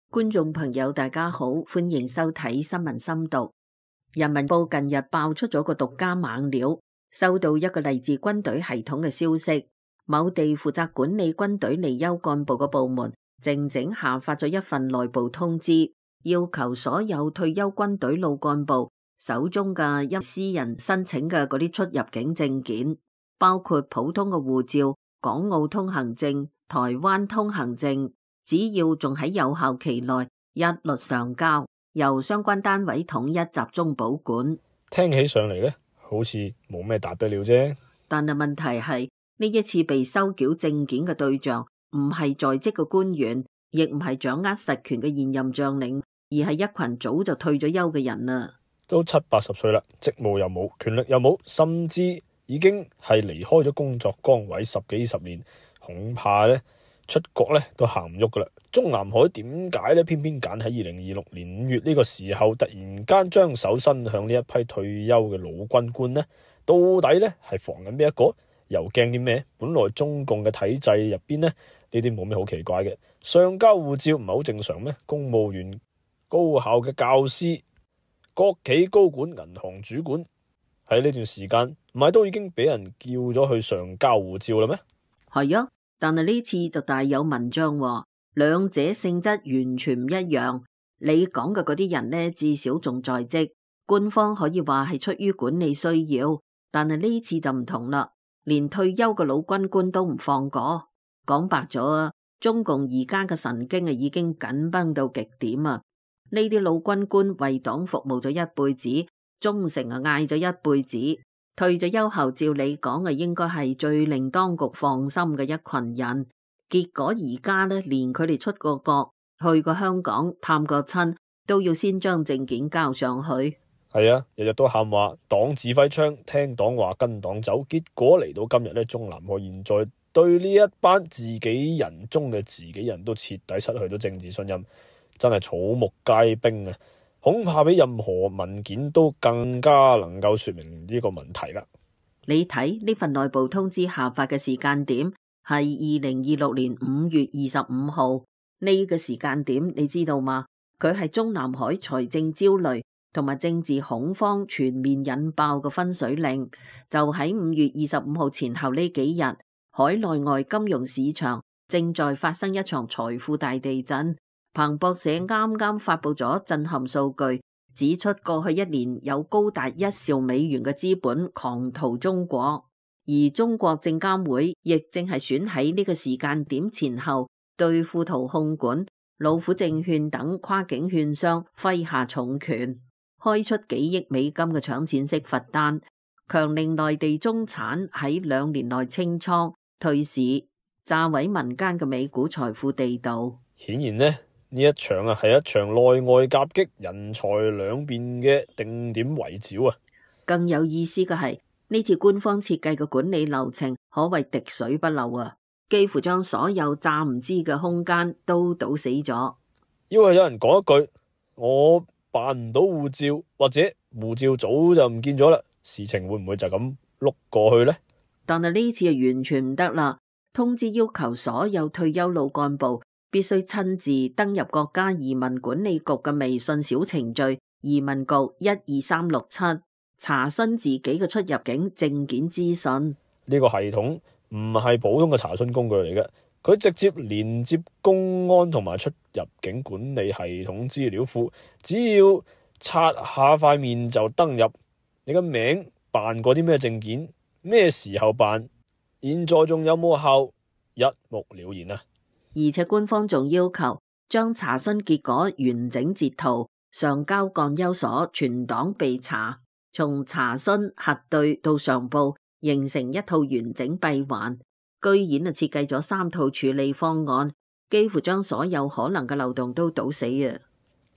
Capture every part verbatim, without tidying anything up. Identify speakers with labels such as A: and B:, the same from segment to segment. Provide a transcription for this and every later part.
A: 觀眾朋友大家好，歡迎收睇新聞深讀。人民報近日爆出咗個獨家猛料，收到一個嚟自軍隊系統嘅消息，某地負責管理軍隊離休幹部嘅部門靜靜下發咗一份內部通知，要求所有退休軍隊老幹部手中嘅一私人申請嘅嗰啲出入境證件，包括普通嘅護照、港澳通行證、台灣通行證，只要仲喺有效期內，一律上交，由相關單位統一集中保管。
B: 聽起上嚟呢，好似冇咩大不了啫。
A: 但係問題係呢一次被收繳證件嘅對象唔係在職嘅官員，亦唔係掌握實權嘅現任將領，而係一群早就退咗休嘅人啊！
B: 都七八十歲啦，職務又冇，權力又冇，甚至已經係離開咗工作崗位十幾十年，恐怕呢出國呢都行唔喐噶啦。中南海點解呢偏偏揀喺二零二六年五月呢個時候突然間將手伸向呢一批退休嘅老軍官呢？到底呢係防緊邊一個？又驚啲咩？本來中共嘅體制入邊呢，呢啲冇咩好奇怪嘅，上交護照唔係好正常咩？公務員、高校嘅教師、國企高管、銀行主管喺呢段時間唔係都已經俾人叫咗去上交護照啦咩？
A: 係啊，但係呢次就大有文章喎，兩者性質完全唔一樣。你講嘅嗰啲人呢，至少仲在職，官方可以話係出於管理需要，但係呢次就唔同啦。連退休嘅老軍官都唔放過，講白咗啊！中共而家嘅神經啊已經緊繃到極點啊！呢啲老軍官為黨服務咗一輩子，忠誠啊嗌咗一輩子，退咗休後照理講啊應該係最令當局放心嘅一群人。結果而家呢，連佢哋出過國、去過香港探過親，都要先將證件交上去。
B: 係啊，日日都喊話黨指揮槍，聽黨話跟黨走，結果嚟到今日呢，中南海現在對呢一班自己人中嘅自己人都徹底失去咗政治信任，真係草木皆兵啊！恐怕比任何文件都更加能夠說明呢個問題啦。
A: 你睇呢份內部通知下發嘅時間點係二零二六年五月二十五號，呢個時間點你知道嗎？佢係中南海財政焦慮同埋政治恐慌全面引爆嘅分水嶺，就喺五月二十五號前後呢幾日，海內外金融市場正在發生一場財富大地震。彭博社啱啱發佈咗震撼數據，指出過去一年有高達一兆美元嘅資本狂逃中國，而中國證監會亦正係選喺呢個時間點前後對富途控股、老虎證券等跨境券商揮下重拳，開出幾億美金嘅搶錢式罰單，強令內地中產喺兩年內清倉退市，炸毀民間嘅美股財富地道。
B: 顯然呢，呢一場啊係一場內外夾擊、人才兩面嘅定點圍剿啊！
A: 更有意思嘅係呢次官方設計嘅管理流程可謂滴水不漏啊！幾乎將所有詐唔知嘅空間都堵死咗。
B: 因為有人講一句，我辦唔到護照，或者護照早就唔見咗啦，事情會唔會就咁碌過去呢？
A: 但係呢次就完全唔得啦！通知要求所有退休老幹部必須親自登入國家移民管理局嘅微信小程序移民局一二三六七，查詢自己嘅出入境證件資訊。
B: 呢個系統唔係普通嘅查詢工具嚟嘅，佢直接連接公安同埋出入境管理系統資料庫，只要刷下塊面就登入你嘅名、辦過啲咩證件、咩時候辦、現在仲有冇效，一目了然啊！
A: 而且官方仲要求將查詢結果完整截圖上交幹休所全黨備查，從查詢核對到上報，形成一套完整閉環。居然啊設計咗三套處理方案，幾乎將所有可能嘅漏洞都堵死啊！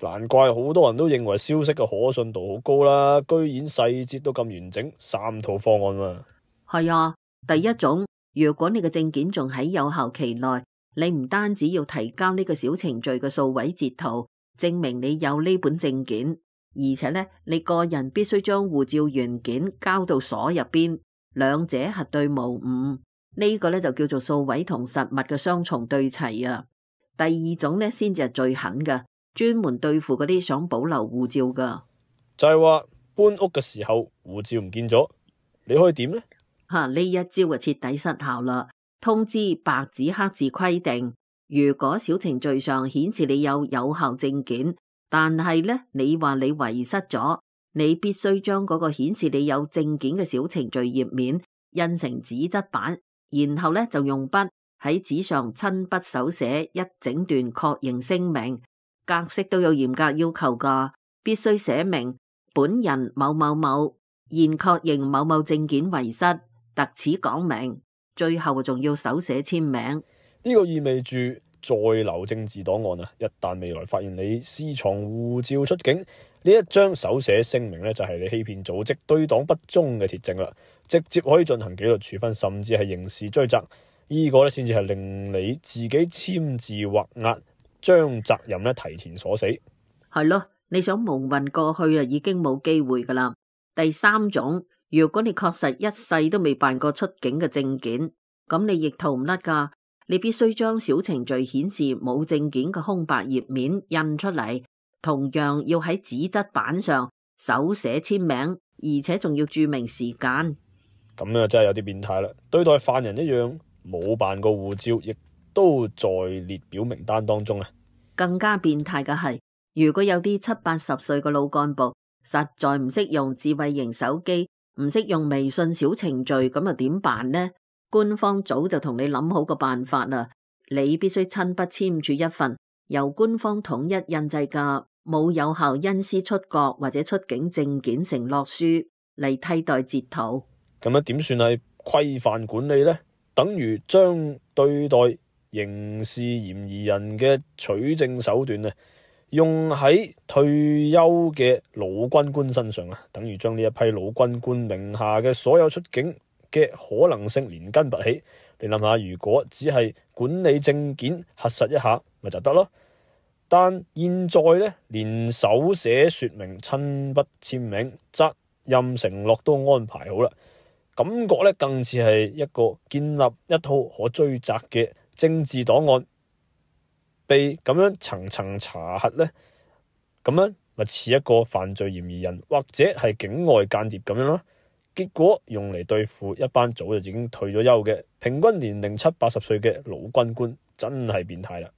B: 難怪好多人都認為消息嘅可信度好高啦，居然細節都咁完整，三套方案嘛。
A: 係啊，第一種，如果你嘅證件仲喺有效期內，你唔單止要提交呢個小程序嘅數位截圖，證明你有呢本證件，而且呢，你個人必須將護照原件交到所入邊，兩者核對無誤。呢個呢就叫做數位同實物嘅雙重對齊啊！第二種咧先至係最狠嘅，專門對付嗰啲想保留護照噶。
B: 就係話搬屋嘅時候護照唔見咗，你可以點呢？
A: 吓，呢一招就徹底失效啦！通知白紙黑字規定，如果小程序上顯示你有有效證件，但係咧你話你遺失咗，你必須將嗰個顯示你有證件嘅小程序頁面印成紙質版，然後咧就用筆喺紙上親筆手寫一整段確認聲明，格式都有嚴格要求噶，必須寫明本人某某某現確認某某證件遺失，特此講明，最後仲要手寫簽名。
B: 呢個意味住在留政治檔案啊，一旦未來發現你私藏護照出境，呢一張手寫聲明咧就係你欺騙組織對黨不忠嘅鐵證啦，直接可以進行紀律處分，甚至係刑事追責。呢個咧先至係令你自己簽字畫押，將責任咧提前鎖死。
A: 係咯，你想蒙混過去啊，已經冇機會噶啦。第三種，如果你確實一世都未辦過出境嘅證件，咁你亦逃唔甩噶。你必須將小程序顯示冇證件嘅空白頁面印出嚟，同樣要喺紙質版上手寫簽名，而且仲要注明時間。
B: 咁啊，真係有啲變態啦！對待犯人一樣，冇辦過護照，亦都在列表名單當中啊！
A: 更加變態嘅係，如果有啲七八十歲嘅老幹部實在唔識用智慧型手機，唔識用微信小程序，咁又點辦呢？官方早就同你諗好個辦法啦，你必須親筆簽署一份由官方統一印製嘅冇有效因私出國或者出境證件承諾書嚟替代截圖。
B: 咁樣點算係規範管理呢？等於將對待刑事嫌疑人嘅取證手段啊，用喺退休嘅老軍官身上啊，等於將呢一批老軍官名下嘅所有出境嘅可能性連根拔起。你諗下，如果只係管理證件核實一下咪就得咯，但現在呢，連手寫說明、親筆簽名、責任承諾都安排好啦，感覺咧更似係一個建立一套可追責嘅政治檔案，被咁樣層層查核呢，咁樣咪似一個犯罪嫌疑人或者係境外間諜咁樣咯。結果用嚟對付一班早就已經退咗休嘅平均年齡七八十歲嘅老軍官，真係變態啦！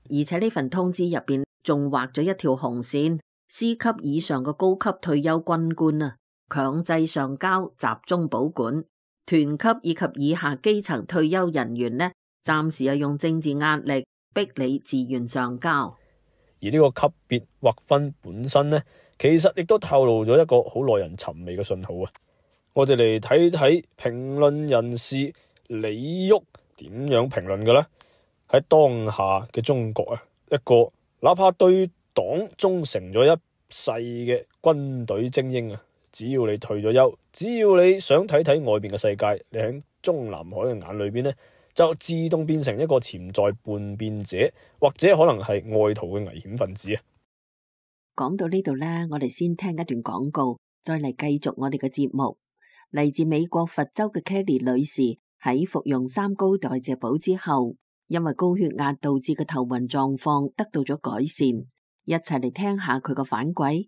A: 而且呢份通知入邊仲畫咗一條紅線，司級以上嘅高級退休軍官啊，強制上交，集中保管；團級以及以下基層退休人員呢，暫時係用政治壓力逼你自願上交。
B: 而呢個級別劃分本身呢，其實亦都透露咗一個好耐人尋味嘅信號啊！我哋嚟睇睇評論人士李煜點樣評論嘅呢？喺當下嘅中國啊，一個哪怕對黨忠誠咗一世嘅軍隊精英啊，只要你退咗休，只要你想睇睇外邊嘅世界，你喺中南海嘅眼裏邊呢，就自動變成一個潛在叛變者，或者可能係外逃嘅危險分子啊！
A: 講到呢度呢，我哋先聽一段廣告，再嚟繼續我哋嘅節目。嚟自美國佛州嘅 Kelly 女士喺服用三高代謝寶之後，因為高血壓導致嘅頭暈狀況得到咗改善，一齊嚟聽下佢個反饋。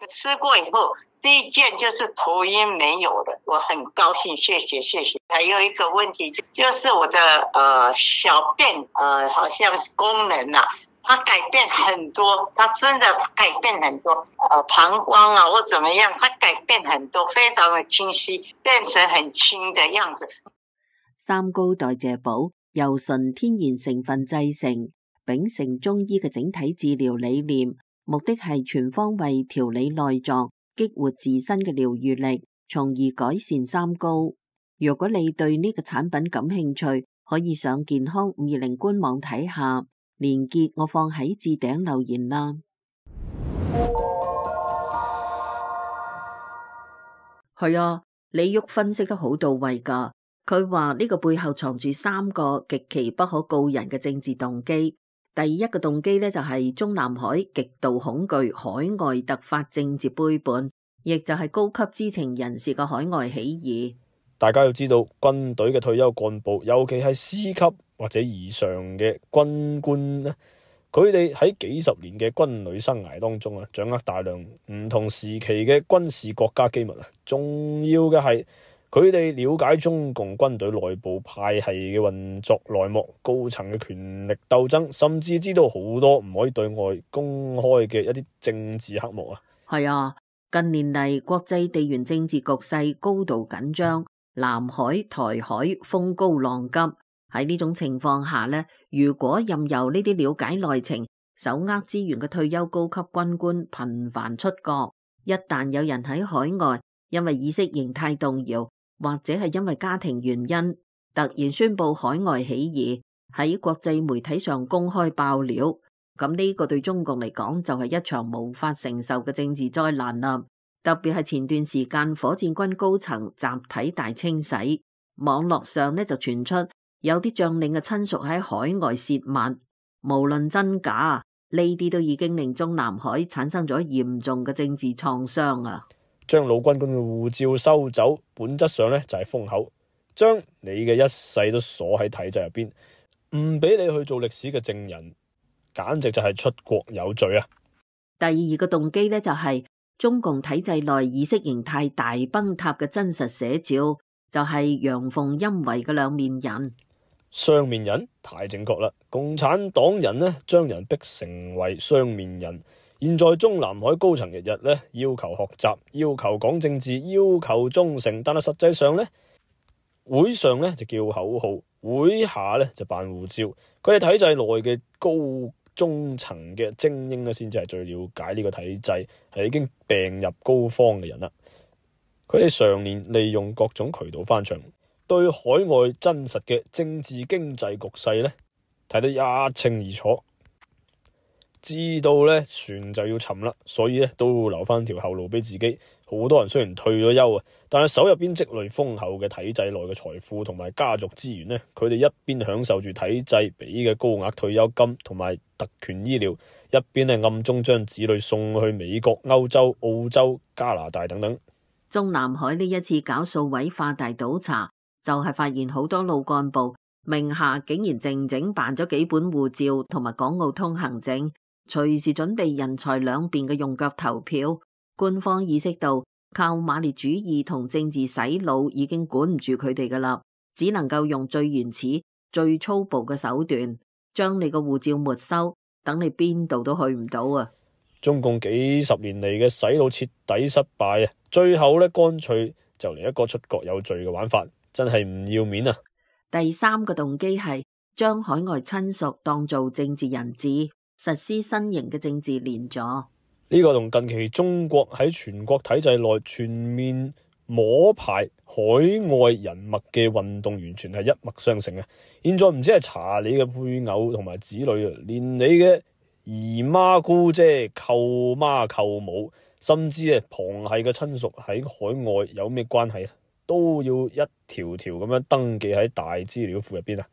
C: 吃過以後，第一件就是頭暈沒有了，我很高興，謝謝謝謝。還有一個問題就就是我的呃小便呃好像是功能啊，它改變很多，它真的改變很多，呃膀胱啊或怎麼樣，它改變很多，非常的清晰，變成很輕的樣子。
A: 三高代謝寶由純天然成分製成，秉承中醫嘅整體治療理念，目的係全方位調理內臟，激活自身嘅療愈力，從而改善三高。如果你對呢個產品感興趣，可以上健康五二零官網睇下，連結我放喺置頂留言啦。係啊，李煜分析得好到位噶。佢話呢個背後藏住三個極其不可告人嘅政治動機。第一個動機呢，就係中南海極度恐懼海外突發政治背叛，亦就係高級知情人士嘅海外起義。
B: 大家要知道，軍隊嘅退休幹部，尤其係司級，或者以上嘅軍官咧，佢哋喺幾十年嘅軍旅生涯當中啊，掌握大量唔同時期嘅軍事國家機密啊。重要嘅係佢哋了解中共軍隊內部派系嘅運作內幕、高層嘅權力鬥爭，甚至知道好多唔可以對外公開嘅一啲政治黑幕啊。
A: 係啊，近年嚟國際地緣政治局勢高度緊張，南海、台海風高浪急。喺呢種情況下呢，如果任由呢啲了解內情、手握資源嘅退休高級軍官頻繁出國，一旦有人喺海外因為意識形態動搖，或者係因為家庭原因突然宣布海外起義，喺國際媒體上公開爆料，咁呢個對中共嚟講就係一場無法承受嘅政治災難啦。特別係前段時間火箭軍高層集體大清洗，網絡上呢就傳出有啲將領嘅親屬喺海外泄密，無論真假，呢啲都已經令中南海產生咗嚴重嘅政治創傷啊！
B: 將老軍官嘅護照收走，本質上呢就係封口，將你嘅一世都鎖喺體制入邊，唔俾你去做歷史嘅證人，簡直就係出國有罪啊！
A: 第二個動機呢，就係中共體制內意識形態大崩塌嘅真實寫照，就係陽奉陰違嘅兩面人。
B: 雙面人太正確啦！共產黨人呢將人逼成為雙面人。現在中南海高層日日呢要求學習，要求講政治，要求忠誠，但係實際上呢，會上呢就叫口號，會下呢就辦護照。佢哋體制內嘅高中層嘅精英呢，先至係最了解呢個體制，係已經病入膏肓嘅人啦。佢哋常年利用各種渠道翻牆，對海外真實嘅政治經濟局勢呢睇得一清二楚。知道咧船就要沉啦，所以咧都留翻條後路俾自己。好多人雖然退咗休啊，但係手入邊積累豐厚嘅體制內嘅財富同埋家族資源呢，佢哋一邊享受住體制俾嘅高額退休金同埋特權醫療，一邊咧暗中將子女送去美國、歐洲、澳洲、加拿大等等。
A: 中南海呢一次搞數位化大倒查，就係發現好多老幹部名下竟然靜靜辦咗幾本護照同埋港澳通行證，隨時準備人財兩便嘅用腳投票。官方意識到靠馬列主義同政治洗腦已經管唔住佢哋噶啦，只能夠用最原始、最粗暴嘅手段，將你個護照沒收，等你邊度都去唔到啊！
B: 中共幾十年嚟嘅洗腦徹底失敗啊，最後咧乾脆就嚟一個出國有罪嘅玩法，真係唔要面啊！
A: 第三個動機係將海外親屬當做政治人質，實施新型嘅政治連坐。
B: 呢個同近期中國喺全國體制內全面摸排海外人脈嘅運動完全係一脈相承啊！現在唔止係查你嘅配偶同埋子女啊，連你嘅姨媽姑姐、舅媽舅母，甚至係旁系嘅親屬喺海外有咩關係啊，都要一條條咁樣登記喺大資料庫入邊啊！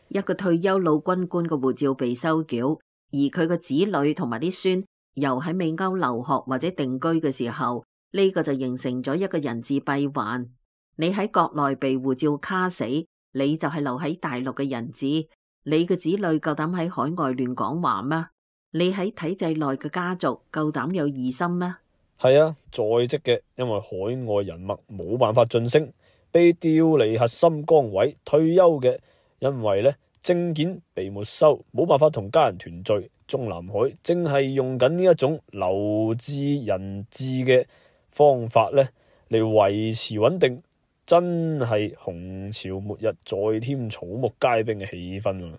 A: 一個退休老軍官嘅護照被收繳，而佢個子女同埋啲孫又喺美歐留學或者定居嘅時候，呢個就形成咗一個人質閉環。你喺國內被護照卡死，你就係留喺大陸嘅人質。你嘅子女夠膽喺海外亂講話咩？你喺體制內嘅家族夠膽有疑心咩？
B: 係啊，在職嘅因為海外人脈冇辦法晉升，被調離核心崗位；退休嘅因為咧證件被沒收，冇辦法同家人團聚。中南海正係用緊呢一種留置人質嘅方法咧嚟維持穩定，真係紅潮末日再添草木皆兵嘅氣氛啊！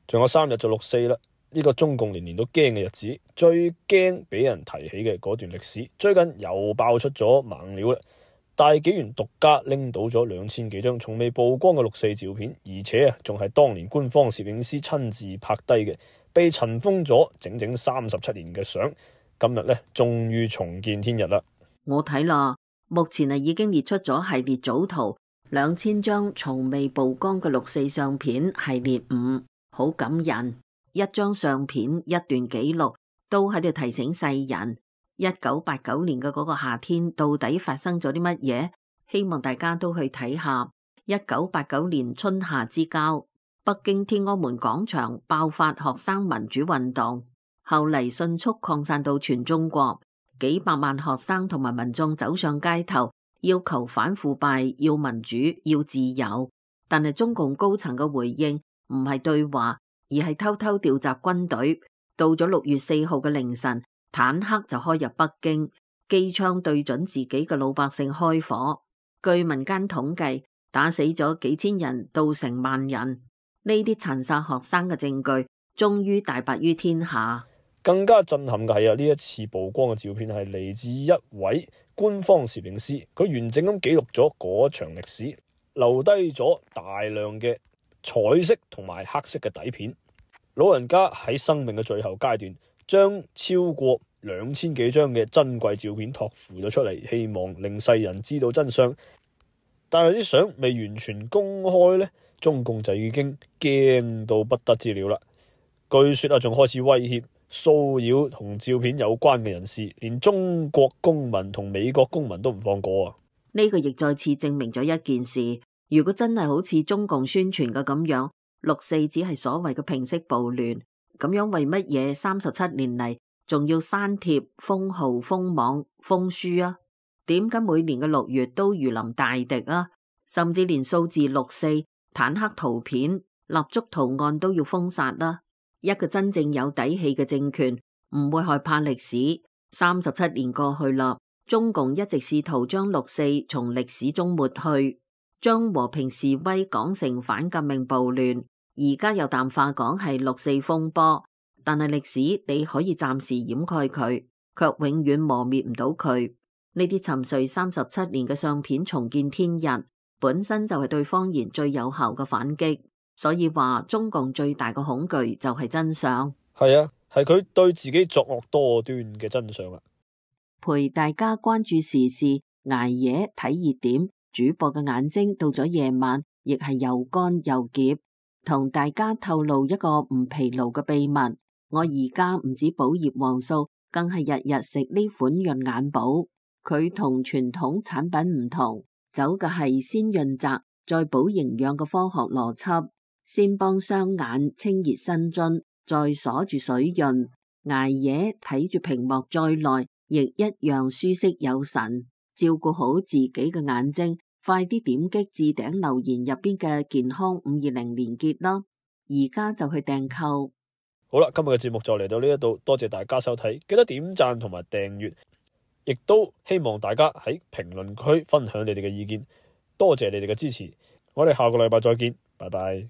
B: 仲有三日就六四啦，呢個中共年年都驚嘅日子，最驚俾人提起嘅嗰段歷史，最近又爆出咗猛料啦！大紀元獨家拎到咗兩千幾張從未曝光嘅六四照片，而且啊，仲係當年官方攝影師親自拍低嘅，被塵封咗整整三十七年嘅相，今日咧終於重見天日啦！
A: 我睇啦，目前啊已經列出咗系列組圖，兩千張從未曝光嘅六四相片系列五，好感人。一張相片，一段記錄，都喺度提醒世人。一九八九年嘅嗰個夏天到底發生咗啲乜嘢？希望大家都去睇下。一九八九年春夏之交，北京天安門廣場爆發學生民主運動，後嚟迅速擴散到全中國，幾百萬學生同埋民眾走上街頭，要求反腐敗、要民主、要自由。但係中共高層嘅回應唔係對話，而係偷偷調集軍隊。到咗六月四號嘅凌晨，坦克就開入北京，機槍對準自己嘅老百姓開火。據民間統計，打死咗幾千人到成萬人。呢啲殘殺學生嘅證據終於大白於天下。
B: 更加震撼嘅係啊，呢一次曝光嘅照片係嚟自一位官方攝影師，佢完整咁記錄咗嗰場歷史，留低咗大量嘅彩色同埋黑色嘅底片。老人家喺生命嘅最後階段，將超過兩千幾張嘅珍貴照片託付咗出嚟，希望令世人知道真相。但係啲相未完全公開呢，中共就已經驚到不得之了啦。據說啊，仲開始威脅騷擾同照片有關嘅人士，連中國公民同美國公民都唔放過啊！
A: 呢個亦再次證明咗一件事：如果真係好似中共宣傳嘅咁樣，六四只係所謂嘅平息暴亂，咁樣為乜嘢三十七年嚟仲要刪帖、封號、封網、封書啊？點解每年嘅六月都如臨大敵啊？甚至連數字六四、坦克圖片、蠟燭圖案都要封殺啦！一個真正有底氣嘅政權唔會害怕歷史。三十七年過去啦，中共一直試圖將六四從歷史中抹去，將和平示威講成反革命暴亂，而家又淡化講係六四風波。但係歷史你可以暫時掩蓋佢，卻永遠磨滅唔到佢。呢啲沉睡三十七年嘅相片重見天日，本身就係對謊言最有效嘅反擊。所以話中共最大嘅恐懼就係真相。
B: 係啊，係佢對自己作惡多端嘅真相啊！
A: 陪大家關注時事，捱夜睇熱點，主播嘅眼睛到咗夜晚亦係又乾又澀。同大家透露一個唔疲勞嘅秘密，我而家唔止補葉黃素，更係日日食呢款潤眼寶。佢同傳統產品唔同，走嘅係先潤澤再補營養嘅科學邏輯。先幫雙眼清熱生津，再鎖住水潤，捱夜睇住屏幕再耐，亦一樣舒適有神。照顧好自己嘅眼睛，快啲點擊置頂留言入邊嘅健康五二零連結啦！而家就去訂購。
B: 好啦，今日嘅節目就嚟到呢一度，多謝大家收睇，記得點讚同埋訂閱，亦都希望大家喺評論區分享你哋嘅意見，多謝你哋嘅支持，我哋下個禮拜再見，拜拜。